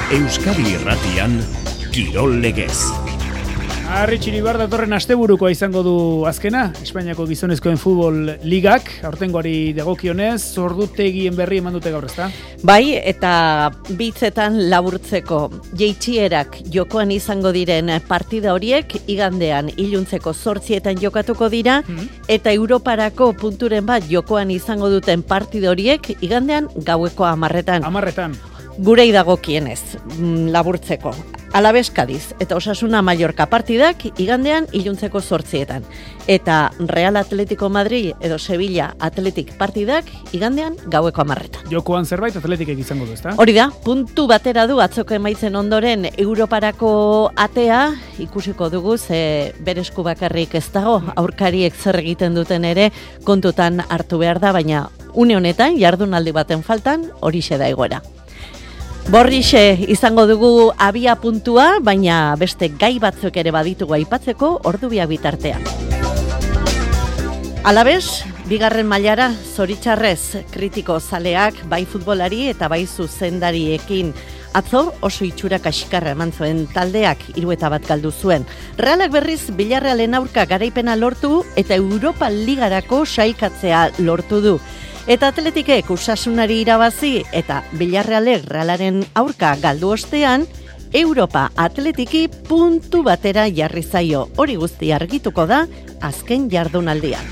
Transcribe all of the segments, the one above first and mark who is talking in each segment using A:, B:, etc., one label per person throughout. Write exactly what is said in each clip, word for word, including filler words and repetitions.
A: Euskadi Irratian, Kirol Legez.
B: Arri Txiribar datorren asteburukoa izango du azkena, Espainiako gizonezkoen futbol ligak, aurtengoari dagokionez, ordutegien berri eman dute gaur, ezta?
C: Bai, eta bitzetan laburtzeko jeitxierak jokoan izango diren partida horiek, igandean iluntzeko zortzietan jokatuko dira, mm-hmm. eta Europarako punturen bat jokoan izango duten partida horiek, igandean gaueko hamarretan.
B: Hamarretan.
C: Gurei dagokienez, laburtzeko. Alabes Kadiz eta Osasuna Mallorca partidak igandean iluntzeko zortzietan. Eta Real Atletico Madrid edo Sevilla Atletik partidak igandean gaueko hamarretan.
B: Jokoan zerbait Atletikek izango du, ezta?
C: Hori da, puntu batera du atzoko emaitzen ondoren Europarako atea, ikusiko dugu ze beresku bakarrik ez dago, aurkariek zer egiten duten ere kontutan hartu behar da, baina une honetan jardunaldi baten faltan horixe da egoera. Borrixe izango dugu abia puntua, baina beste gai batzuk ere baditugu aipatzeko ordubiak bitartean. Alabez, bigarren mailara zoritxarrez kritiko zaleak bai futbolari eta bai zuzendariekin. Atzo oso itxura kaskarra eman zuen taldeak hiru eta bat galdu zuen. Realak berriz Villarrealen aurka garaipena lortu eta Europa Ligarako sailkatzea lortu du. Eta Atletikek Osasunari irabazi eta Villarrealek Realaren aurka galdu ostean, Europa Atletiki puntu batera jarri zaio. Hori guzti argituko da azken jardunaldian.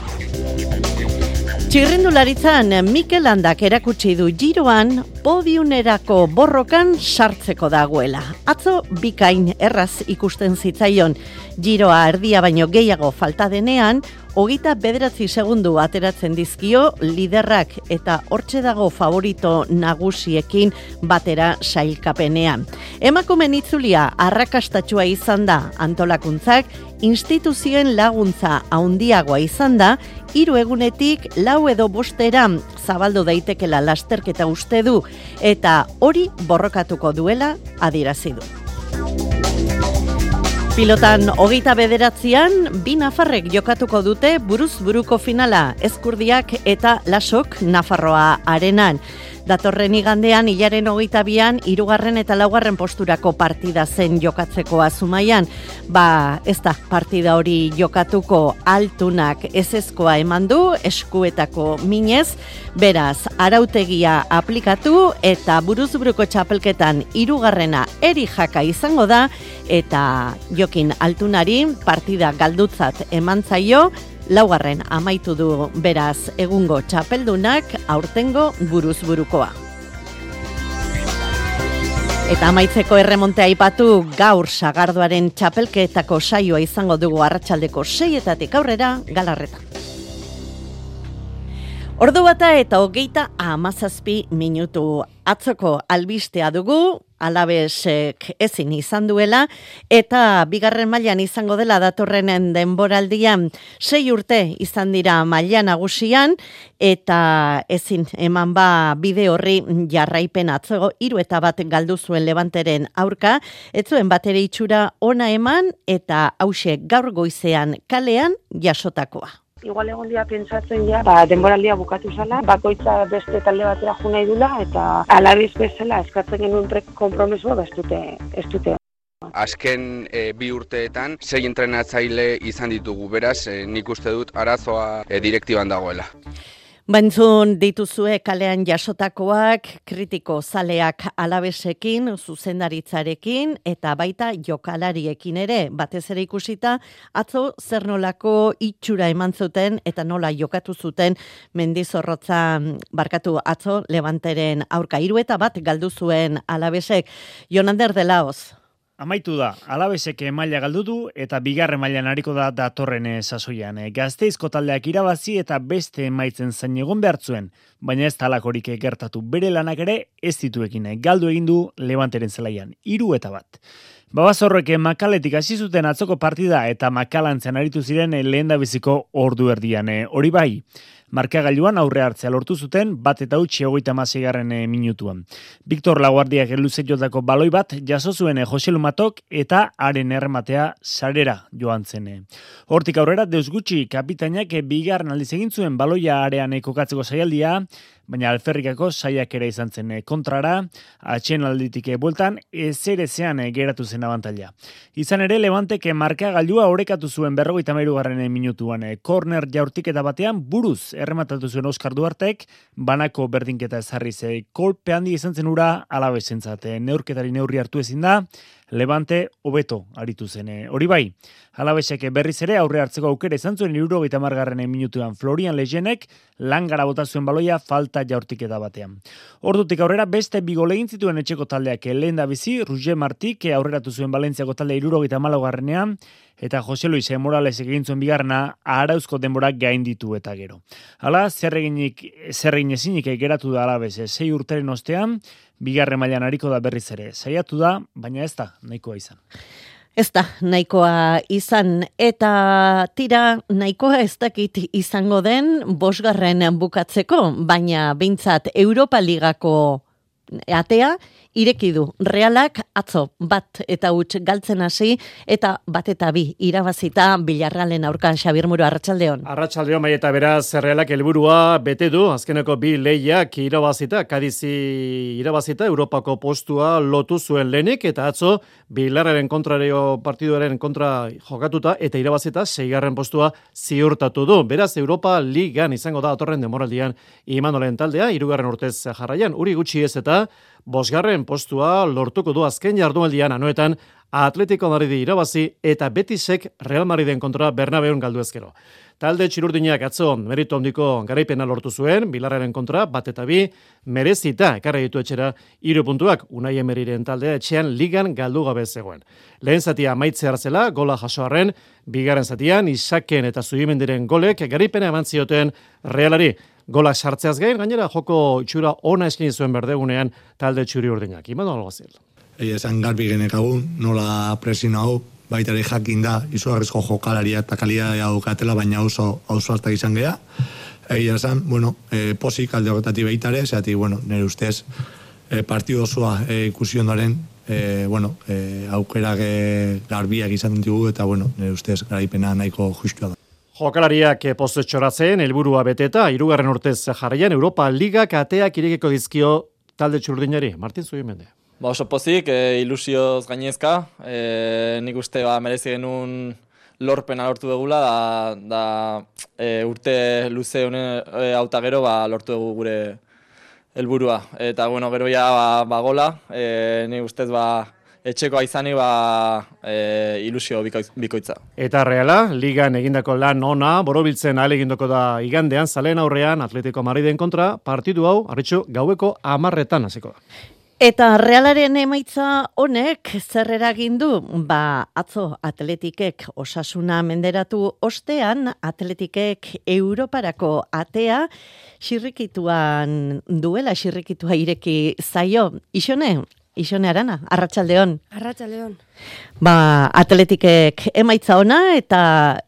C: Txirrindularitzan Mikel Landak erakutsi du Giroan podiunerako borrokan sartzeko dagoela. Atzo bikain erraz ikusten zitzaion. Giroa erdia baino gehiago falta denean, hogeita bederatzi segundu ateratzen dizkio liderrak eta hortxe dago favorito nagusiekin batera sailkapenean. Emakumeen itzulia arrakastatsua izan da antolakuntzak, instituzioen laguntza handiagoa izan da, hiru egunetik lau edo bostera zabaldu daitekela lasterketa uste du, eta hori borrokatuko duela adierazi du. Pilotan hogeita bederatzian, bi nafarrek jokatuko dute buruz buruko finala, Ezkurdiak eta Lasok Nafarroa arenan. Datorren igandean, hilaren hogeita bian, hirugarren eta laugarren posturako partida zen jokatzeko Azumaian. Ba, ez da partida hori jokatuko, Altunak ezezkoa eman du, eskuetako minez, beraz, arautegia aplikatu eta buruzburuko txapelketan hirugarrena eri jaka izango da, eta Jokin Altunari partida galdutzat eman zaio, laugarren amaitu du beraz egungo txapeldunak aurtengo buruzburukoa. Eta amaitzeko erremontea aipatu gaur sagardoaren txapelketako saioa izango dugu arratsaldeko seietatik aurrera Galarretan. Ordu bata eta hogeita hamazazpi minutu atzoko albistea dugu, Alabesek ezin izan duela, eta bigarren mailan izango dela datorrenen denboraldian sei urte izan dira maila nagusian, eta ezin eman ba bide horri jarraipen atzo hiru eta bat galdu zuen Levanteren aurka, ez zuen batere itxura ona eman, eta hauxe gaur goizean kalean jasotakoa.
D: Igual egon dia pentsatzen ja, ba, denboraldia bukatu zala, bakoitza beste talde batera jo nahi dula, eta Alabez bezala eskatzen genuen konpromisoa ba, ez dute, ez dute.
E: Azken e, bi urteetan, sei entrenatzaile izan ditugu, beraz, e, nik uste dut arazoa e, direktiban dagoela.
C: Bantzun dituzue kalean jasotakoak, kritiko zaleak Alabesekin, zuzendaritzarekin, eta baita jokalariekin ere, batez ere ikusita, atzo zer nolako itxura eman zuten, eta nola jokatu zuten Mendizorrotza barkatu atzo Levanteren aurka. Hiru eta bat galdu zuen Alabesek. Jonander de Laoz.
B: Amaitu da, Alabesek maila galdu du eta bigarren mailan ariko da datorren sasoian. Gazteizko taldeak irabazi eta beste emaitzen zain egon behartzuen, baina ez talakorik gertatu bere lanak ere ez dituekin. Galdu egin du Levanteren zelaian, hiru eta bat. Babazorrek Makaletik hasi zuten atzoko partida eta Makalantzen aritu ziren lehendabiziko ordu erdian. Hori bai, markagailuan aurre hartzea lortu zuten bat eta utzi hogeita hamaseigarren minutuan. Victor Laguardiak luze jotako baloi bat jaso zuen Jose Lumatok eta haren errematea sarera joan zen. Hortik aurrera Deus Gutxi kapitainak bigarren aldiz egin zuen baloia arean kokatzeko saialdia, baina alferrikako saiakera izan zen kontrara, atsedenalditik bueltan ezerezean geratu zen abantaila. Izan ere, Levantek markagailua orekatu zuen berrogeita hamairugarren minutuan korner jaurtiketa batean buruz errematatu zuen Oskar Duartek, banako berdinketa ezarriz kolpe handi izan zen ura Alavesentzat. Neurketari neurri hartu ezin da, Levante hobeto aritu zen. Hori bai, Alavesek berriz ere aurre hartzeko aukera izan zuen hirurogeita hamargarren minutuan Florian Lejenek langara bota zuen baloia falta jaurtiketa batean. Ordutik aurrera beste bi gol egin zituen etxeko taldeak lehen da bizi, Roger Martik aurreratu zuen Valentziako talde hirurogeita hamalaugarrenean, eta Jose Luis Morales egin zuen bigarrena Arauzko denborak gainditu eta gero. Hala, zer eginik, zer egin ezinik geratu da Alaves sei urteren ostean, bigarren mailan ariko da berriz ere. Saiatu da, baina ez da nahikoa izan.
C: Ez da nahikoa izan, eta tira nahikoa ez dakit izango den bosgarren bukatzeko, baina behintzat Europa Ligako atea ireki du. Realak atzo bat eta huts galtzen hasi eta bat eta bi irabazita Villarrealen aurka. Xabier Muro, arratsaldeon.
F: Arratsaldeon, bai, eta beraz Realak helburua bete du, azkeneko bi lehiak irabazita, Kadizi irabazita Europako postua lotu zuen lehenik, eta atzo Villarrealen kontrario partiduaren kontra jokatuta eta irabazita seigarren postua ziurtatu du. Beraz Europa Ligan izango da datorren denboraldian Imanolen taldea, hirugarren urtez jarraian, uri gutxi ez eta bosgarren postua lortuko du azken jardunaldian anoetan Atletico Madridi irabazi eta Betisek Real Madriden kontra Bernabeun galdu ezkero. Talde txirurdinak atzo meritu handiko garaipena lortu zuen, Villarrealen kontra bat eta bi merezita ekarri ditu etxera hiru puntuak. Unai Emeriren taldea etxean ligan galdu gabe zegoen. Lehen zatia amaitze hartzela, gola jasoarren, bigarren zatian Isaken eta Zubimendiren golek garaipena eman zioten Realari. Golak sartzeaz gain, gainera joko itxura ona eskaini zuen berdegunean talde txuri urdinak. Imanol Alguazil.
G: Egia esan garbi genekagun, nola presio hau, baitari jakin da, izugarrizko jokalaria eta kalitatea daukatela, baina oso ausartak izan gea. Egia esan, bueno, e, posik alde horretatik baitare, zeatik, bueno, nire ustez, e, partidu osoa e, ikusi ondoren, e, bueno, e, aukerak e, garbiak izan ditugu, eta, bueno, nire ustez, garaipena nahiko justua da.
F: Jokalariak postu txoratzen, helburua beteta, hirugarren urtez jarraian Europa Ligak ateak irekiko dizkio talde txurdinari. Martin Zubimende.
H: Ba oso pozik, e, ilusioz gainezka, e, nik uste ba, merezi genuen lorpena lortu dugula, da, da e, urte luze honen e, auta gero ba, lortu dugu gure helburua. Eta bueno, gero ja ba, ba gola, e, nik ustez ba, etxekoa izani ba, e, ilusio bikoitza.
F: Eta Reala, ligan egindako lan ona, borobiltzen ahal egindoko da igandean, zaleen aurrean Atletico Madriden kontra, partidu hau, arritxu, gaueko amarretan hasiko da.
C: Eta Realaren emaitza honek zer eragin du? Ba, atzo Atletikek Osasuna menderatu ostean, Atletikek Europarako atea xirrikituan duela, xirrikitua ireki zaio. Ixone, Ixone Arana, arratsaldeon.
I: Arratsaldeon.
C: Ba, Atletikek emaitza ona eta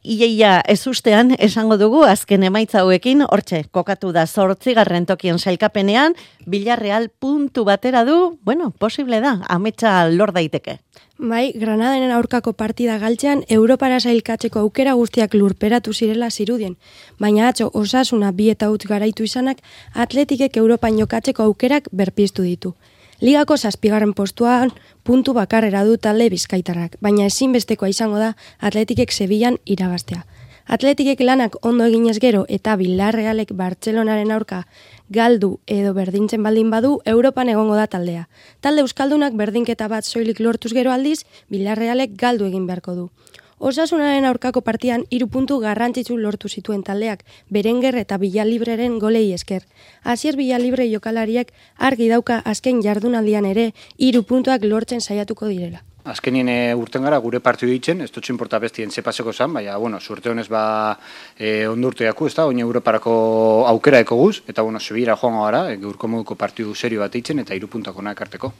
C: iaia ez ustean esango dugu azken emaitza hauekin, hortxe, kokatu da zortzigarren tokien sailkapenean, Villarreal puntu batera du, bueno, posible da, ametsa lor daiteke.
I: Bai, Granadaren aurkako partida galtzean, Europara sailkatzeko aukera guztiak lurperatu zirela zirudien. Baina atzo, Osasuna bi eta huts garaitu izanak, Atletikek Europan jokatzeko aukerak berpiztu ditu. Ligako zazpigarren postuan puntu bakarrera du talde bizkaitarrak, baina ezinbestekoa izango da Atletikek Sevillan irabaztea. Atletikek lanak ondo eginez gero eta Villarrealek Bartzelonaren aurka galdu edo berdintzen baldin badu, Europan egongo da taldea. Talde euskaldunak berdinketa bat soilik lortuz gero aldiz, Villarrealek galdu egin beharko du. Osasunaren aurkako partian hiru puntu garrantzitsu lortu zituen taldeak, Berenguer eta Villalibreren golei esker. Asier Villalibre jokalariak argi dauka azken jardunaldian ere hiru puntuak lortzen saiatuko direla.
J: Azkenien e, urten gara gure partidu ditzen, ez dutxin porta bestien zepaseko zan, baina, bueno, surte honez ba e, ondurtu jaku, ez da, oin Europarako aukera eko guz, eta, bueno, Sevilla joango gara, e, gaurko moduko partidu serio bat ditzen, eta hiru puntak ona ekarteko.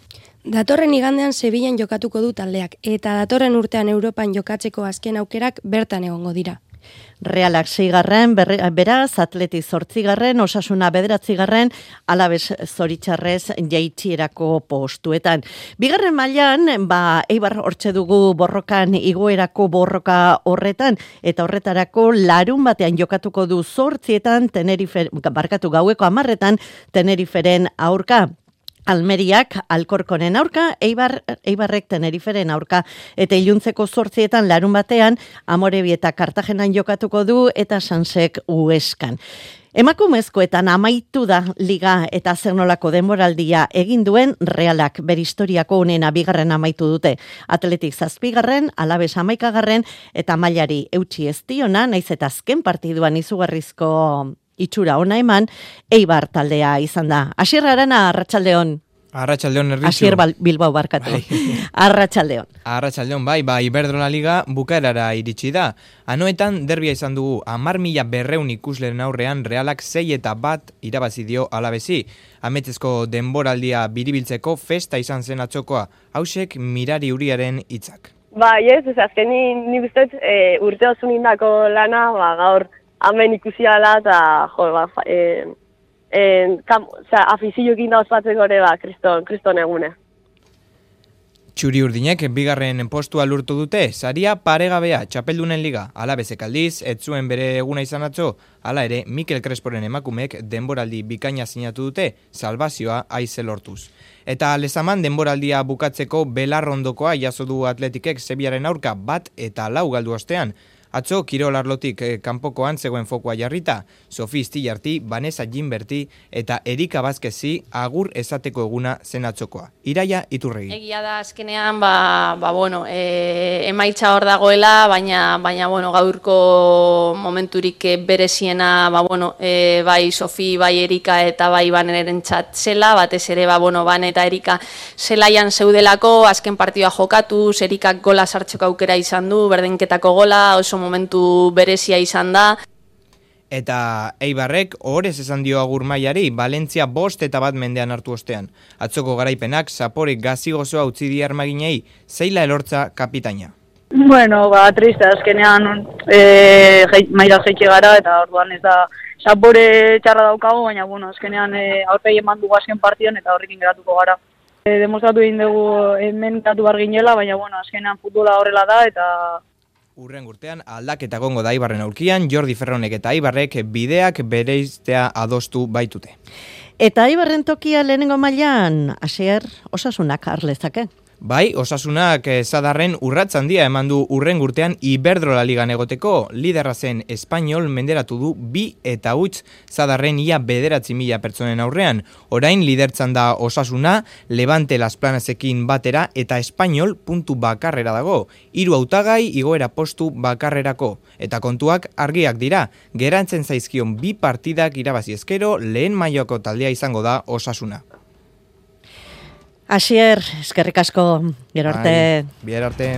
I: Datorren igandean Sevillan jokatuko du taldeak, eta datorren urtean Europan jokatzeko azken aukerak bertan egongo dira.
C: Realak seigarren, beraz, Atleti zortzigarren, Osasuna bederatzigarren, Alabes zoritxarrez jaitsierako postuetan. Bigarren mailan, ba, Eibar hortxe dugu borrokan, igoerako borroka horretan, eta horretarako larun batean jokatuko du zortzietan, Tenerife, barkatu gaueko amarretan, Teneriferen aurka. Almeriak Alkorkonen aurka, Eibar, Eibarrek Teneriferen aurka, eta iluntzeko zortzietan larun batean, Amorebi eta Kartagenan jokatuko du, eta Sansek Ueskan. Emakumezkoetan amaitu da liga eta zer nolako denboraldia egin duen Realak bere historiako onena bigarren amaitu dute. Atletik zazpigarren, Alabes hamaikagarren, eta mailari eutsi ez diona, naiz eta azken partiduan izugarrizko itxura ona eman, Eibar taldea izan da. Asier Arana, Arratsaldeon.
K: Arratsaldeon Erritxu.
C: Asier Bilbao barkatu. Arratsaldeon.
K: Arratsaldeon, bai, bai, Iberdrola Liga bukaerara iritsi da. Anoetan derbia izan dugu hamar mila berrehun ikusleren aurrean Realak sei eta bat irabazi dio Alabesi. Ametezko denboraldia biribiltzeko festa izan zen atzokoa. Hausek Mirari Uriaren hitzak.
L: Ba, yes, ez azkenin nik uste e, urte oso nindako lana, ba, gaur hemen ikusi ala eta jo, ba, e, e, kam, oza, afizioekin da ospatzeko ere, ba, kriston, kriston egune.
K: Txuri urdinek bigarren postua lurtu dute, saria paregabea txapeldunen liga, Alabesek aldiz, ez zuen bere eguna izan atzo, hala ere, Mikel Cresporen emakumek denboraldi bikaina sinatu dute, salvazioa aize lortuz. Eta Lezaman denboraldia bukatzeko belarrondokoa jaso du Atletikek Sebiaren aurka bat eta lau galdu ostean. Atzo, Kirol Arlotik eh, kanpokoan zegoen fokua jarrita, Sofi Stillarti, Vanessa Gimberti eta Erika Bazkezi agur esateko eguna zen atzokoa. Iraia Iturregi.
M: Egia da azkenean, ba, ba bueno, e, emaitza hor dagoela, baina, baina bueno, gaurko momenturik bereziena, ba, bueno, e, bai Sofi, bai Erika eta bai Baneren txat zela, batez ere, ba, bueno, Ban eta Erika zelaian zeudelako, azken partidua jokatu, Erikak gola sartzeko aukera izan du, berdinketako gola, oso momentu berezia izan da.
K: Eta Eibarrek ohorez esan dio agur mailari, Valentzia bost eta bat mendean hartu ostean. Atzoko garaipenak Zaporek gazigozoa utzi di armaginei, zeila elortza kapitaina.
N: Bueno, ba, triste, azkenean e, maila jeitxe gara, eta orduan ez da Zapore txarra daukago, baina bueno, azkenean e, aurpegi eman dugu azken partidan eta horrekin geratuko gara. E, demostratu egin dugu hemen gatu bar ginela, baina bueno, azkenean futbola horrela da, eta
K: Urren urtean aldaketa gongo da Eibarren aurkian, Jordi Ferronek eta Eibarrek bideak bereiztea adostu baitute.
C: Eta Eibarren tokia lehenengo mailan, Asier, Osasunak harlezake.
K: Bai, Osasunak Zadarren urrats handia eman du urren urtean Iberdrola Ligan egoteko, liderra zen Espainol menderatu du bi eta huitz Zadarren ia bederatzi mila pertsonen aurrean. Orain lidertzan da Osasuna, Levante Las Planasekin batera eta Espainol puntu bakarrera dago. Hiru hautagai igoera postu bakarrerako. Eta kontuak argiak dira, gerantzen zaizkion bi partidak irabazi ezkero lehen mailako taldea izango da Osasuna.
C: Asier, eskerrik asko, gero arte.
K: Bihar arte.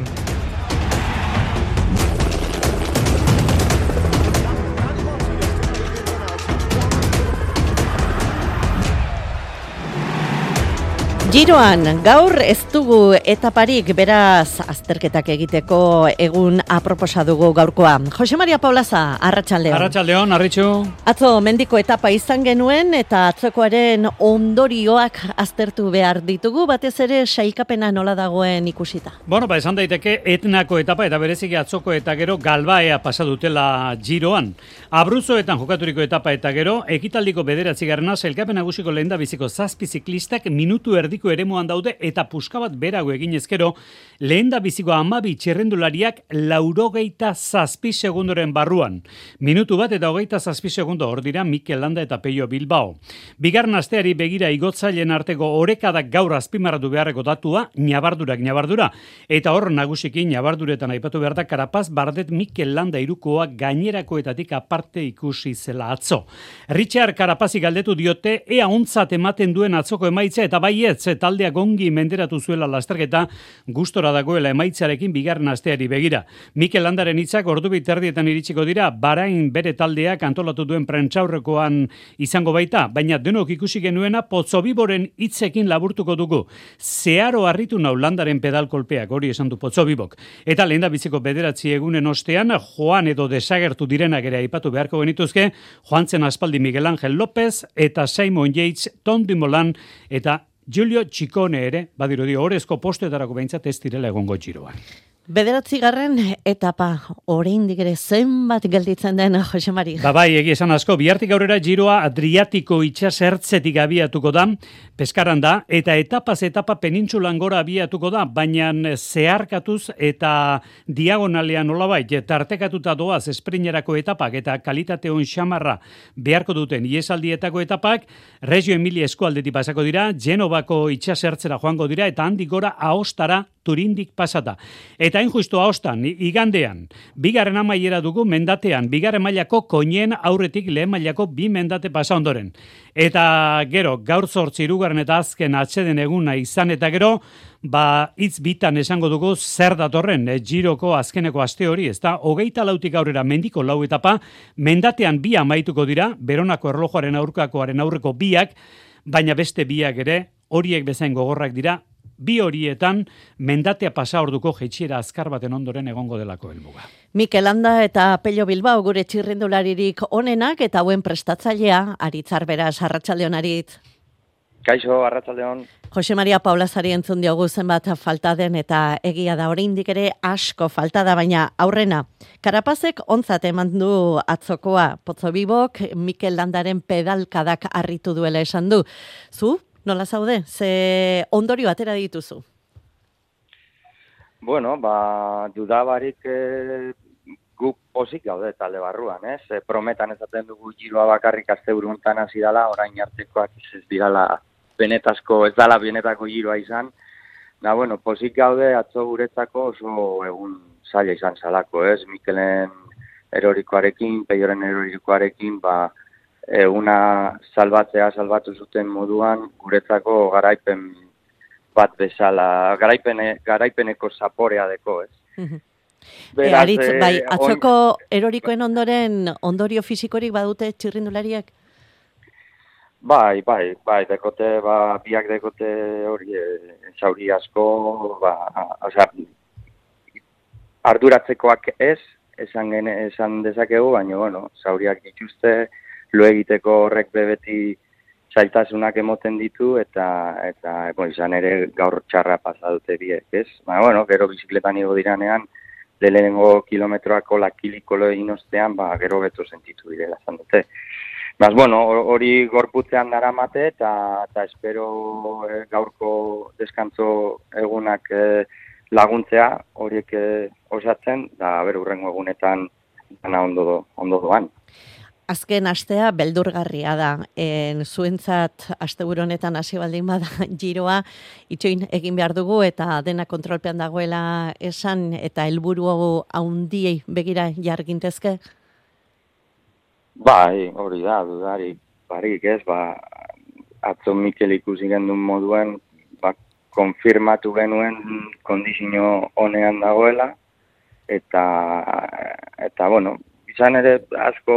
C: Giroan, gaur ez dugu etaparik, beraz azterketak egiteko egun aproposa dugu gaurkoa. Jose Maria Paulaza, Arratsaldeon.
B: Arratsaldeon, Arritxu.
C: Atzo mendiko etapa izan genuen eta atzokoaren ondorioak aztertu behar ditugu, batez ere sailkapena nola dagoen ikusita.
B: Bueno, ba, esan daiteke etnako etapa eta bereziki atzoko eta gero galbaea pasa dutela Giroan. Abruzoetan jokaturiko etapa eta gero, ekitaldiko bederatzigarrena sailkapen nagusiko lehendabiziko zazpi ziklistak minutu erdi eremuan daude eta puska bat berago egin ezkero, lehenda biziko hamabi txerrendulariak laurogeita zazpi segundoren barruan. Minutu bat eta hogeita zazpi segundo hor dira Mikel Landa eta Peio Bilbao. Bigarren asteari begira igotzaileen arteko orekadak gaur azpimarratu beharreko datua, ñabardurak ñabardura. Eta hor nagusiki ñabarduretan aipatu behar da Karapaz Bardet Mikel Landa irukoa gainerakoetatik aparte ikusi zela atzo. Richard Karapazi galdetu diote ea ontzat ematen duen atzoko emaitza eta baietz
O: ze taldeak ongi menderatu zuela lasterketa, gustora dagoela emaitzarekin bigarren asteari begira. Mikel Landaren hitzak ordu biterdietan iritsiko dira, Bahrain bere taldeak antolatu duen prentsaurrekoan izango baita, baina denok ikusi genuena Potsobiboren hitzekin laburtuko dugu. Zeharo harritu nau Landaren pedalkolpeak, hori esan du Potzobibok. Eta lehendabiziko bederatzi egunen ostean, joan edo desagertu direnak ere aipatu beharko genituzke, joan zen aspaldi Miguel Ángel López eta Simon Yates, Tom Dumoulin eta Giulio Ciccone ere, badirudi orezko postuetarako behintzat ez direla egongo Giroan.
C: Bederatzigarren etapa, oraindik ere zenbat gelditzen den, Jose Mari.
O: Ba bai, egia esan asko, bihartik aurrera Giroa Adriatiko itsasertzetik abiatuko da, Peskaran da, eta etapaz etapa penintsulan gora abiatuko da, baina zeharkatuz eta diagonalean nolabait, tartekatuta doaz esprinerako etapak eta kalitate on xamarra beharko duten iesaldietako etapak, Reggio Emilia eskualdetik pasako dira, Genovako itsasertzera joango dira, eta handik gora Aostara Turindik pasata. Eta hain justu Aostan, igandean, bigarren amaiera dugu mendatean, bigarren mailako koinien aurretik lehen mailako bi mendate pasa ondoren. Eta gero, gaur zortzi hirugarren eta azken atseden eguna izan eta gero, ba, hitz bitan esango dugu zer datorren, e, Giroko azkeneko aste hori, ez da, hogeita lautik aurrera mendiko lau etapa, mendatean bi amaituko dira, Beronako erlojuaren aurkakoaren aurreko biak, baina beste biak ere, horiek bezain gogorrak dira, bi horietan mendatea pasa orduko jeitsiera azkar baten ondoren egongo delako helmuga.
C: Mikel Landa eta Pello Bilbao gure txirrindularirik onenak eta hauen prestatzailea, Aritz Arberaz, arratsaldeon Aritz.
P: Kaixo, arratsaldeon.
C: Jose Maria Paulazari entzun diogu zenbat falta den eta egia da oraindik ere asko falta da, baina aurrena. Karapazek ontzat eman du atzokoa, Potzobibok Mikel Landaren pedalkadak harritu duela esan du. Zu? Nola zaude? Ze ondorio atera dituzu?
P: Bueno, ba, dudabarik e, guk pozik gaude talde barruan, ez? E, prometan ezaten dugu Giroa bakarrik asteburu hontan hasi dela, orain artekoak ez dirala benetazko, ez dala benetako Giroa izan. Da, bueno, pozik gaude atzo guretzako oso egun zaila izan zalako, ez? Mikelen erorikoarekin, Peioren erorikoarekin, ba, eguna salbatzea salbatu zuten moduan guretzako garaipen bat bezala, garaipene, garaipeneko zaporea deko, ez?
C: Beraz, e, Aritz, bai, atzoko on... erorikoen ondoren ondorio fisikorik badute txirrindulariak?
P: Bai, bai, bai, dekote, ba, biak dekote hori zauri asko, ba, osea, arduratzekoak ez, esan, gene, esan dezakegu, baina, bueno, zauriak dituzte, lo egiteko horrek bebeti zailtasunak emoten ditu eta eta bueno, izan ere gaur txarra pasa dute biek, ez? Ba, bueno, gero bizikletan igo diranean, lehenengo kilometroako lakiliko egin ostean, ba, gero beto sentitu direla, zan dute. Baz, bueno, hori gorputzean daramate eta, eta espero eh, gaurko deskantzo egunak eh, laguntzea horiek eh, osatzen, da ber urrengo egunetan dana ondo, ondo doan.
C: Azken astea beldurgarria da. En zuentzat asteburu honetan hasi baldin bada Giroa itxoin egin behar dugu eta dena kontrolpean dagoela esan eta helburu handiei begira jargintezke?
P: Bai, hori da, dudarik, barik ez, ba, atzo Mikel ikusi gendun moduen, ba, konfirmatu genuen kondizio honean dagoela, eta, eta, bueno, izan ere, asko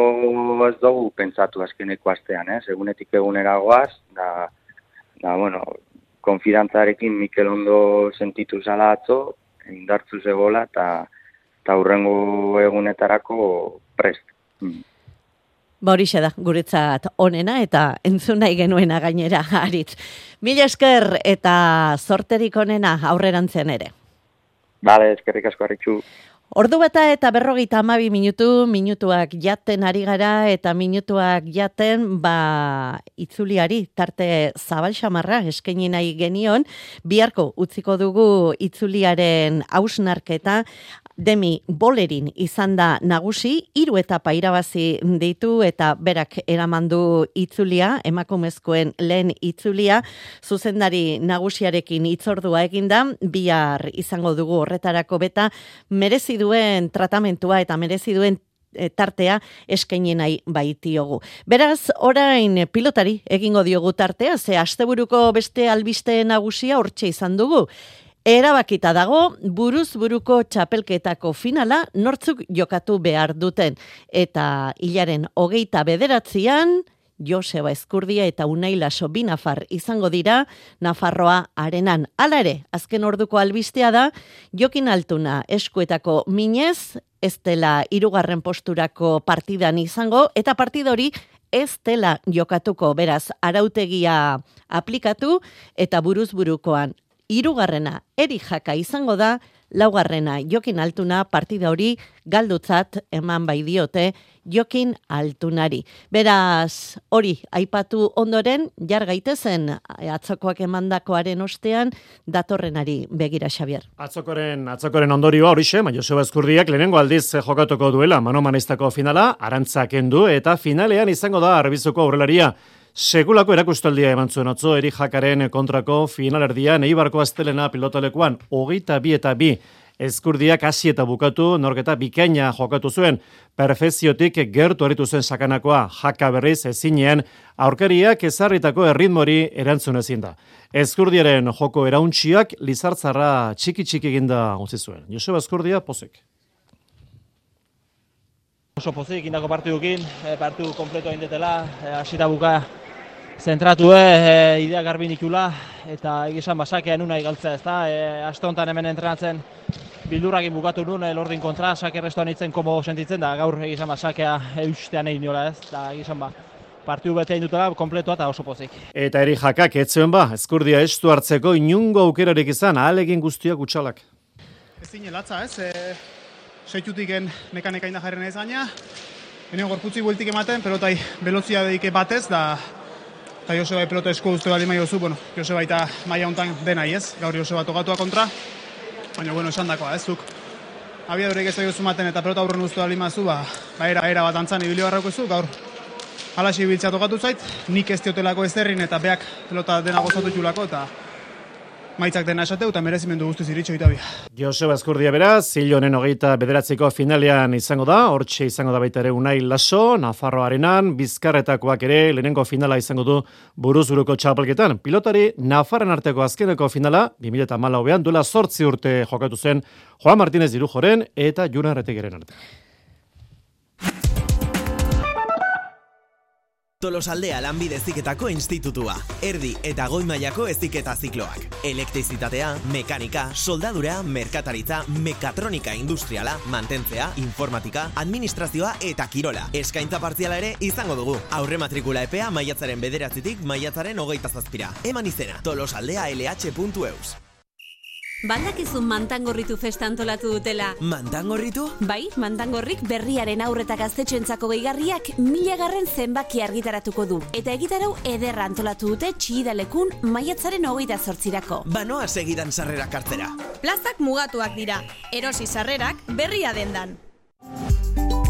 P: ez dugu pentsatu azkeneko astean, ez? Egunetik egunera goaz, da, da, bueno, konfidantzarekin Mikel ondo sentitu zala atzo, indartzu zegoela, eta eta hurrengo egunetarako prest. Mm.
C: Ba horixe da, guretzat onena eta entzun nahi genuena gainera, Aritz. Mila esker eta zorterik onena aurrerantzean ere.
P: Bale, eskerrik asko Arritxu.
C: Ordu bata eta berrogeita hamabi minutu, minutuak jaten ari gara eta minutuak jaten ba itzuliari tarte zabal xamarra eskaini nahi genion, biharko utziko dugu itzuliaren hausnarketa. Demi Bolerin izan da nagusi, hiru etapa irabazi ditu eta berak eramandu itzulia, emakumezkoen lehen itzulia, zuzendari nagusiarekin hitzordua eginda, bihar izango dugu horretarako beta, merezi duen tratamentua eta merezi duen tartea eskaini nahi baitiogu. Beraz, orain pilotari egingo diogu tartea, ze asteburuko beste albiste nagusia hortxe izan dugu. Erabakita dago, buruz buruko txapelketako finala nortzuk jokatu behar duten. Eta hilaren hogeita bederatzian, Joseba Ezkurdia eta Unai Laso bi nafar izango dira Nafarroa arenan. Hala ere, azken orduko albistea da, Jokin Altuna eskuetako minez, ez dela hirugarren posturako partidan izango, eta partida hori ez dela jokatuko, beraz, arautegia aplikatu, eta buruz burukoan hirugarrena Eri Jaka izango da, laugarrena Jokin Altuna partida hori galdutzat eman bai diote Jokin Altunari. Beraz, hori aipatu ondoren, jar gaitezen atzokoak emandakoaren ostean datorrenari begira, Xabier.
F: Atzokoren, atzokoren ondorioa horixe, ma Joseba Ezkurdiak lehenengo aldiz jokatuko duela mano-manistako finala, arantzak endu eta finalean izango da Arbizuko aurrelaria. Segulako erakustaldia eman zuen atzo Eri Jakaren kontrako finalerdian Eibarko Astelena pilotalekuan hogeita bi eta bi Ezkurdiak hasi eta bukatu norketa bikaina jokatu zuen. Perfeziotik gertu aritu zen sakanakoa, Jaka berriz ezinean aurkariak ezarritako erritmori erantzun ezin da. Ezkurdiaren joko erauntxiak lizartzarra txiki-txiki eginda utzi zuen. Joseba Ezkurdia pozek.
Q: Oso pozik indako partidukin, partidu kompleto indetela, hasita buka zentratu, e, idea garbi nikula, eta egizan basakea nuna igaltzea, ez da, e, aste honetan hemen entrenatzen bildurrakin bukatu nun, Lordin kontra, sake restoan itzen komo sentitzen, da gaur egizan basakea eustean egin niola, ez, da egizan ba, partidu bete indutela, kompletoa eta oso pozik.
F: Eta Eri Jakak etzuen ba, Ezkurdia estu hartzeko inungo aukerarik izan, ahalegin guztiak utxalak.
R: Ez dine latza, ez, e, seitutik mekanika inda jarri nahiz gaina, ene gorputzi bueltik ematen, pelotai belozia deike batez, da eta Joseba pelota esko uste bali maiozu, bueno, Joseba eta maia hontan denai ez, gaur Joseba tokatua kontra, baina, bueno, esan dakoa, ez zuk. Abiadurik ez daiozu maten eta pelota aurren uste bali mazu, ba, ba era, era bat antzan ibilio barrako zu, gaur halaxi biltzea tokatu zait, nik ez diotelako ez derrin eta beak pelota dena gozatu txulako, eta maitzak dena esateu eta merezimendu guztiz iritxo itabia.
F: Joseba Ezkurdia beraz, hil honen hogeita bederatziko finalean izango da, hortxe izango da baita ere Unai Laso, Nafarroa arenan, Bizkarretakoak ere lehenengo finala izango du buruz buruko txapelketan. Pilotari Nafarren arteko azkeneko finala, bi mila hamalauean duela zortzi urte jokatu zen Juan Martínez Irujoren eta Juna Erretegeren arte.
S: Tolosaldea Lanbide Heziketako Institutua. Erdi eta goi mailako heziketa zikloak. Elektrizitatea, mekanika, soldadura, merkataritza, mekatronika industriala, mantentzea, informatika, administrazioa eta kirola. Eskaintza partziala ere izango dugu. Aurre matrikula epea maiatzaren bederatzitik maiatzaren hogeita zazpira. Eman izena, tolosaldea L H puntu E U S.
T: Baldakizun Mantangorritu festa antolatu dutela.
S: Mantangorritu?
T: Bai, Mantangorrik berriaren aurreta gaztetxoentzako gehigarriak milagarren zenbaki argitaratuko du. Eta egitarau ederra antolatu dute Txidalekun maiatzaren hogeita zortzirako.
S: Banoa segidan sarrerak hartzera.
T: Plazak mugatuak dira, erosi sarrerak berria dendan.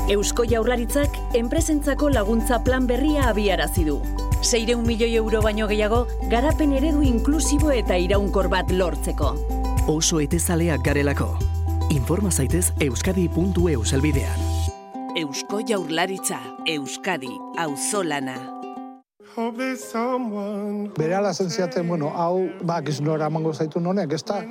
U: Eusko Jaurlaritzak enpresentzako laguntza plan berria abiarazi du. Seireun milioi euro baino gehiago, garapen eredu inklusibo eta iraunkor bat lortzeko.
V: Oso etezaleak garelako. Informa zaitez euskadi puntu e u elbidean.
U: Eusko Jaurlaritza, Euskadi, auzolana.
W: Berehala zentziaten, bueno, hau, bak iznora emango zaitu nonek, ez da?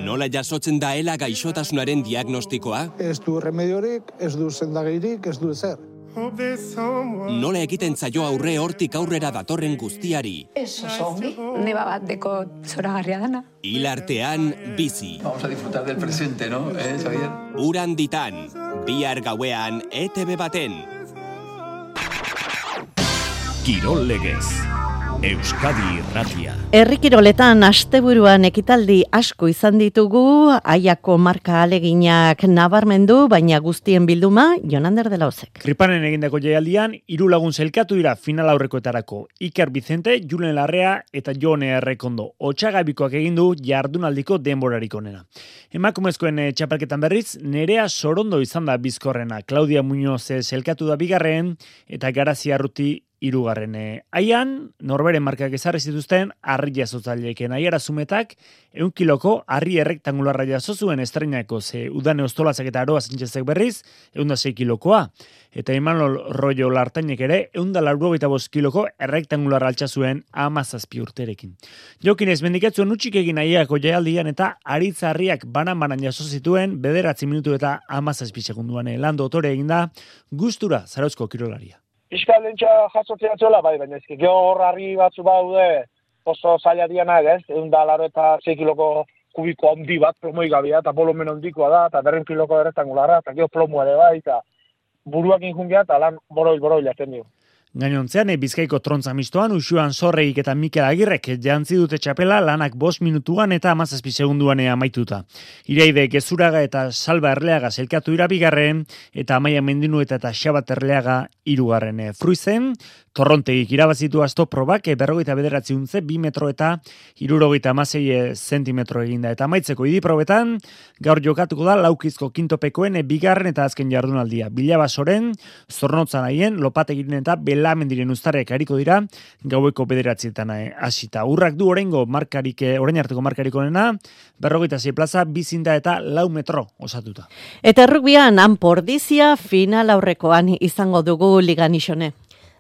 X: Nola jasotzen daela gaixotasunaren diagnostikoa?
W: Ez du remediorik, ez du sendagairik, ez du ezer.
X: Nola egiten zaio aurre hortik aurrera datorren guztiari?
Y: Ez oso ongi, neba bat deko zoragarria dana.
X: Hilartean bizi.
Z: Vamos a disfrutar del presente, ¿no? Eh, Xavier?
X: Uran ditan, bihar gauean E T B baten.
A: Kirol legez, Euskadi Irratia.
C: Herri kiroletan asteburuan ekitaldi asko izan ditugu, Aiako marka aleginak nabarmendu, baina guztien bilduma Jonander de la Osek.
B: Kripanen egindako jaialdian, hiru lagun zelkatu dira final aurrekoetarako. Iker Vicente, Julen Larrea eta Jone Errekondo. Otsagabikoak egin du jardunaldiko denborarik onena. Emakumezkoen txapelketan berriz, Nerea Sorondo izan da bizkorrena. Claudia Muñoz zelkatu da bigarren eta Garazia Arruti irugarren. Aian, norberen markak ezarri zituzten harri jasotzaileeken aiara zumetak, eun kiloko harri errektangularra jaso zuen estrenako, ze udane ostolazak eta aroa zintxezek berriz, eun da sei kilokoa. Eta Imanol Rollo Lartainek ere, eun da laurogeita bost kiloko errektangularra altxa zuen amazazpi urterekin. Jokin ez mendiketzuen utxik egin aiako jaialdian eta aritza harriak banan-banan jaso zituen, bederatzi minutu eta amazazpi segunduan lando otore eginda, gustura Zarauzko kirolaria.
D: Piskal lentsa jasotzea txola, bai, baina ezki gehor harri batzu baude oso zaila dianak, ez? Egun da laro eta sei kiloko kubiko handi bat, plomoi gabia, eta volumen handikoa da, eta berren kiloko errektangularra, eta geho plomoa ere bai, eta buruak injungia, eta lan boroil-boroil jaten dio.
B: Gainontzean, Bizkaiko trontza mistoan, Uxuan Zorreik eta Mikel Agirrek jantzi dute txapela lanak bost minutuan eta amazazpi segunduan amaituta. Iraide Gezuraga eta Salba Erleaga zelkatu irabigarren, eta Amaia Mendinueta eta Xabat Erleaga irugarren. Fruizen, Torrontegik irabazitu asto probak, berrogeita bederatzi untze, bi metro eta irurogeita amasei zentimetro eginda. Eta amaitzeko idiprobetan, gaur jokatuko da laukizko kintopekoen bigarren eta azken jardunaldia. Bilabasoren, Zornotzan haien, Lopategiren eta Belamendiren uztarek hariko dira, gaueko bederatzietan hasita. Urrak du orengo markarik, orain arteko markarik onena, berrogeita sei plaza, bizinda eta lau metro osatuta.
C: Eta errukbian, Anpordizia final aurrekoan izango dugu ligan isone.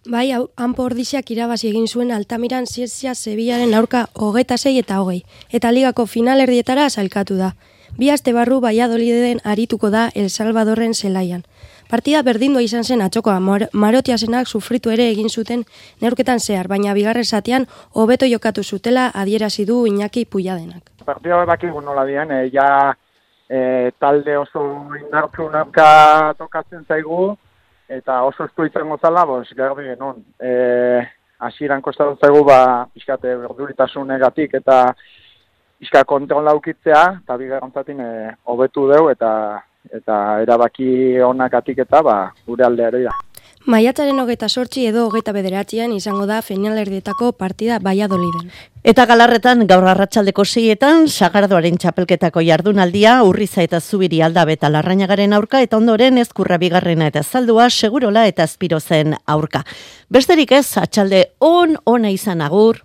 E: Bai, Anpordiziak irabazi egin zuen Altamiran Zierzia Sevillaren aurka hogeta sei eta hogei, eta ligako finalerdietara sailkatu da. Bi aste barru Valladoliden arituko da El Salvadorren zelaian. Partida berdindua izan zen atxokoa, Marotiasenak sufritu ere egin zuten neurketan zehar, baina bigarren zatean hobeto jokatu zutela adierazi du Iñaki Puilladenak.
G: Partida bakigu nola dian, e, ja e, talde oso indartsu narka tokatzen zaigu, eta oso estu izango zala, bos, garbi genuen. E, Asiran kostatu zaigu, ba, pixkate berduritasunagatik eta pixka kontrol laukitzea, eta bigarren zatin hobetu e, deu, eta eta erabaki onakatik eta ba, gure aldeari da.
E: Maiatzaren hogeita sortzi edo hogeita bederatzean izango da finalerdietako partida Valladoliden.
C: Eta Galarretan gaur arratsaldeko seietan Sagardoaren txapelketako jardunaldia Urriza eta Zubiri Aldabe eta Larrañagaren aurka eta ondoren Ezkurra bigarrena eta Zaldua Segurola eta Azpirozen aurka. Besterik ez, atxalde on ona izan agur.